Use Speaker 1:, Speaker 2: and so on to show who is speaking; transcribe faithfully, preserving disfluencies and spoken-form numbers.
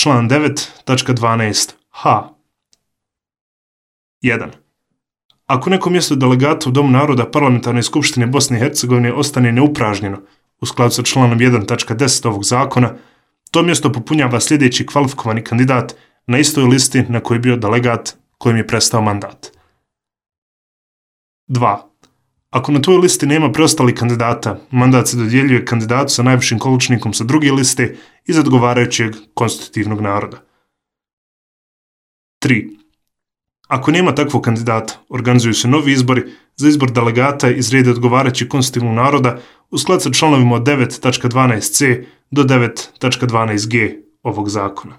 Speaker 1: član devet tačka dvanaest ha. jedan. Ako neko mjesto delegata u Domu naroda Parlamentarne skupštine Bosne i Hercegovine ostane neupražnjeno u skladu sa članom jedan tačka deset ovog zakona, to mjesto popunjava sljedeći kvalifikovani kandidat na istoj listi na kojoj je bio delegat kojem je prestao mandat. dva. Ako na toj listi nema preostalih kandidata, mandat se dodjeljuje kandidatu sa najvišim količnikom sa druge liste iz odgovarajućeg konstitutivnog naroda. tri. Ako nema takvog kandidata, organizuju se novi izbori za izbor delegata iz reda odgovarajućeg konstitutivnog naroda u skladu sa članovima od devet tačka dvanaest ce do devet tačka dvanaest ge ovog zakona.